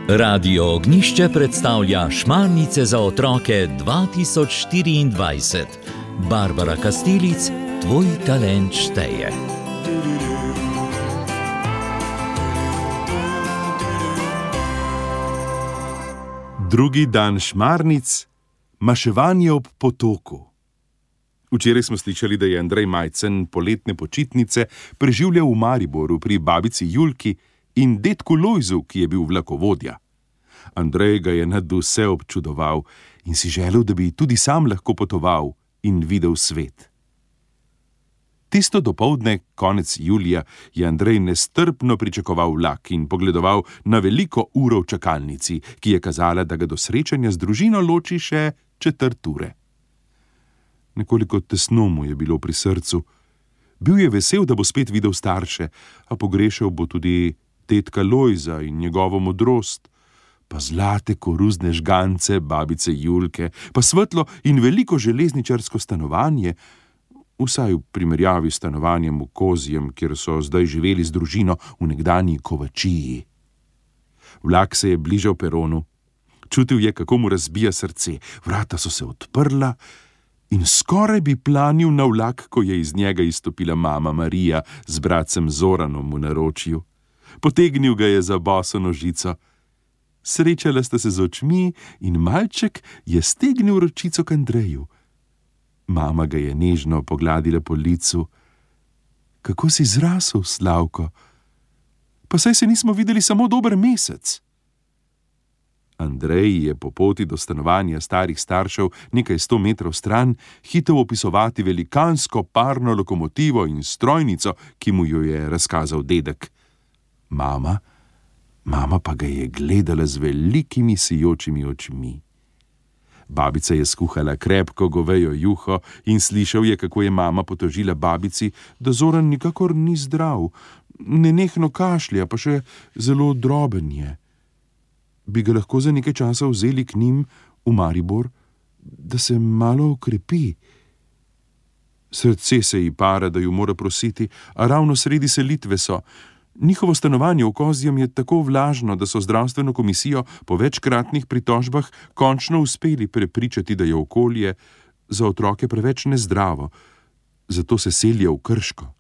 Radio Ognjišče predstavlja Šmarnice za otroke 2024. Barbara Kastelic, tvoj talent šteje. Drugi dan Šmarnic, maševanje ob potoku. Včeraj smo slišali, da je Andrej Majcen poletne počitnice preživljal v Mariboru pri babici Julki in dedku Lojzu, ki je bil vlakovodja. Andrej ga je nadvse občudoval in si želel, da bi tudi sam lahko potoval in videl svet. Tisto dopoldne, konec julija, je Andrej nestrpno pričakoval vlak in pogledoval na veliko uro v čakalnici, ki je kazala, da ga do srečanja z družino loči še 1/4 ure. Nekoliko tesno mu je bilo pri srcu. Bil je vesel, da bo spet videl starše, a pogrešal bo tudi dedka Lojza in njegovo modrost, pa zlate koruzne žgance babice Julke, pa svetlo in veliko železničarsko stanovanje, vsaj v primerjavi s stanovanjem v Kozjem, kjer so zdaj živeli z družino v nekdanji Kovačiji. Vlak se je bližal peronu. Čutil je, kako mu razbija srce. Vrata so se odprla in skoraj bi planil na vlak, ko je iz njega izstopila mama Marija z bratcem Zoranom v naročju. Potegnil ga je za boso nožico. Srečala sta se z očmi in malček je stegnil ročico k Andreju. Mama ga je nežno pogladila po licu. Kako si zrasel, Slavko? Pa saj se nismo videli samo dober mesec. Andrej je po poti do stanovanja starih staršev nekaj 100 metrov stran hitel opisovati velikansko parno lokomotivo in strojnico, ki mu jo je razkazal dedek. Mama pa ga je gledala z velikimi sijočimi očmi. Babica je skuhala krepko govejo juho in slišal je, kako je mama potožila babici, da Zoran nikakor ni zdrav, nenehno kašlja, pa še zelo droben je. Bi ga lahko za nekaj časa vzeli k njim v Maribor, da se malo okrepi. Srce se ji para, da ju mora prositi, a ravno sredi selitve so. Njihovo stanovanje v Kozjem je tako vlažno, da so zdravstveno komisijo po večkratnih pritožbah končno uspeli prepričati, da je okolje za otroke preveč nezdravo, zato se selijo v Krško.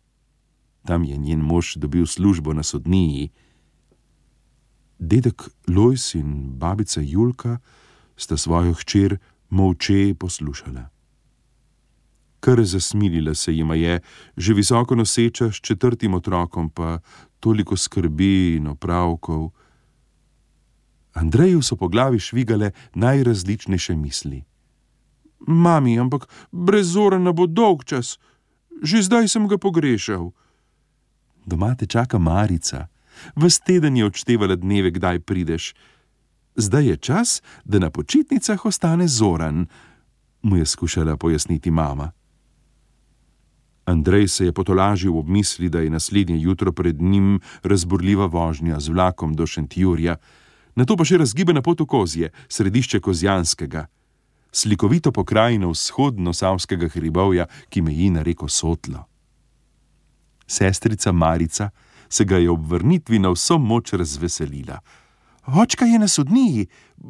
Tam je njen mož dobil službo na sodniji. Dedek Lojz in babica Julka sta svojo hčer molče poslušala. Kar zasmilila se jima je, že visoko noseča s 4. otrokom, pa toliko skrbi in opravkov. Andreju so po glavi švigale najrazličnejše misli. Mami, ampak brez Zorana bo dolg čas. Že zdaj sem ga pogrešal. Doma te čaka Marica. Ves teden je odštevala dneve, kdaj prideš. Zdaj je čas, da na počitnicah ostane Zoran, mu je skušala pojasniti mama. Andrej se je potolažil ob misli, da je naslednje jutro pred njim razburljiva vožnja z vlakom do Šentjurja, nato pa še razgibana pot v Kozje, središče Kozjanskega, slikovito pokrajino vzhodno-savskega hribovja, ki meji na reko Sotlo. Sestrica Marica se ga je ob vrnitvi na vso moč razveselila. Očka je na sodniji,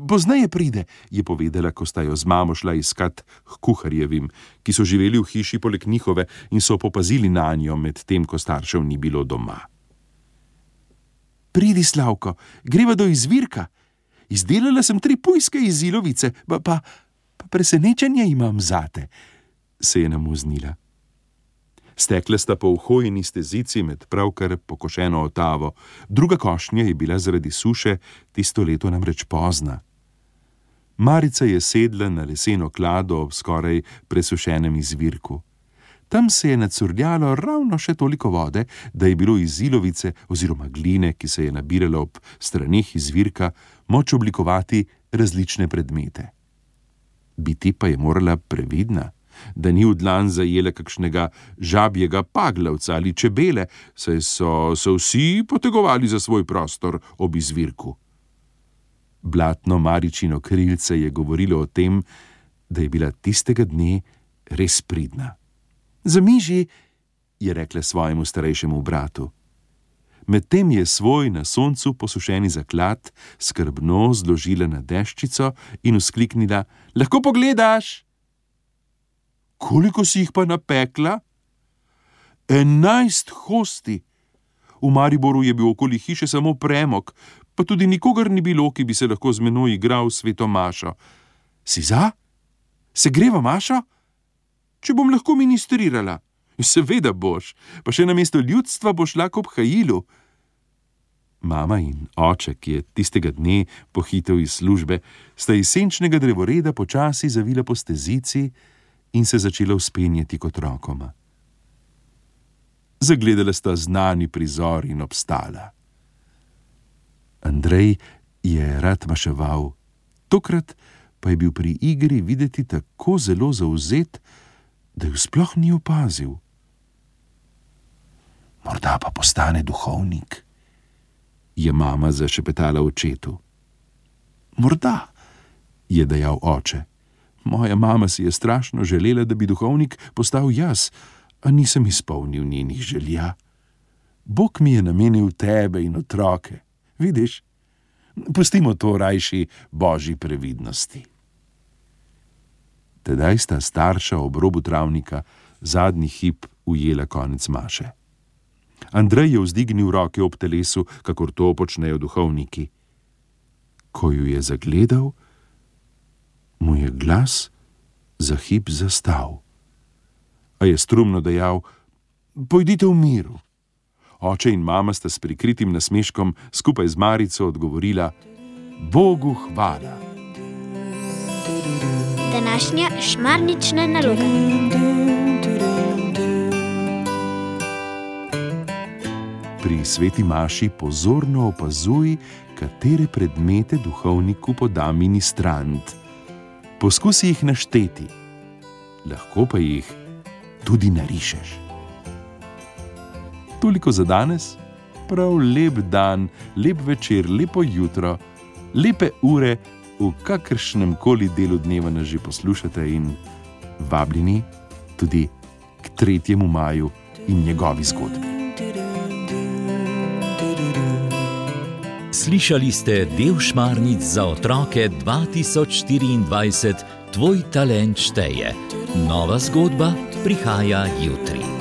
pozneje pride, je povedala, ko sta jo z mamo šla iskat k kuharjevim, ki so živeli v hiši poleg njihove in so popazili nanjo med tem, ko staršev ni bilo doma. Pridi, Slavko, greva do izvirka. Izdelala sem 3 pujske iz ilovice, pa presenečenje imam zate, se je namuznila. Stekla sta po uhojeni stezici med pravkar pokošeno otavo, druga košnja je bila zaradi suše tisto leto namreč pozna. Marica je sedla na leseno klado ob skoraj presušenem izvirku. Tam se je nacurljalo ravno še toliko vode, da je bilo iz ilovice oziroma gline, ki se je nabirala ob straneh izvirka, moč oblikovati različne predmete. Biti pa je morala previdna, da ni v dlan zajela kakšnega žabjega paglavca ali čebele, saj so se vsi potegovali za svoj prostor ob izvirku. Blatno Maričino krilce je govorilo o tem, da je bila tistega dne res pridna. Zamiži, je rekla svojemu starejšemu bratu. Medtem je svoj na soncu posušeni zaklad skrbno zložila na deščico in vzkliknila: Lahko pogledaš? Koliko si jih pa napekla? 11 hosti. V Mariboru je bil okoli hiše samo premog, pa tudi nikogar ni bilo, ki bi se lahko z menoj igral sveto mašo. Si za? Se greva mašo? Če bom lahko ministrirala. Seveda boš, pa še namesto ljudstva boš lahko ob Hajilu. Mama in oče, ki je tistega dne pohitel iz službe, sta iz senčnega drevoreda počasi zavila po stezici in se začela vzpenjati kot rokoma. Zagledala sta znani prizor in obstala. Andrej je rad maševal, tokrat pa je bil pri igri videti tako zelo zavzet, da ju sploh ni opazil. Morda pa postane duhovnik, je mama zašepetala očetu. Morda, je dejal oče. Moja mama si je strašno želela, da bi duhovnik postal jaz, a nisem izpolnil njenih želja. Bog mi je namenil tebe in otroke, vidiš? Pustimo to rajši božji previdnosti. Tedaj sta starša ob robu travnika zadnji hip ujela konec maše. Andrej je vzdignil roke ob telesu, kakor to počnejo duhovniki. Ko ju je zagledal, mu je glas za hip zastal. A je strumno dejal: Pojdite v miru. Oče in mama sta s prikritim nasmeškom skupaj z Marico odgovorila: Bogu hvala. Današnja šmarnična naloga. Pri sveti maši pozorno opazuj, katere predmete duhovniku poda ministrant. Poskusi jih našteti, lahko pa jih tudi narišeš. Toliko za danes, prav lep dan, lep večer, lepo jutro, lepe ure, v kakršnem koli delu dneva nas že poslušate in vabljeni tudi k 3. maju in njegovi zgodbi. Slišali ste del Šmarnic za otroke 2024, Tvoj talent šteje. Nova zgodba prihaja jutri.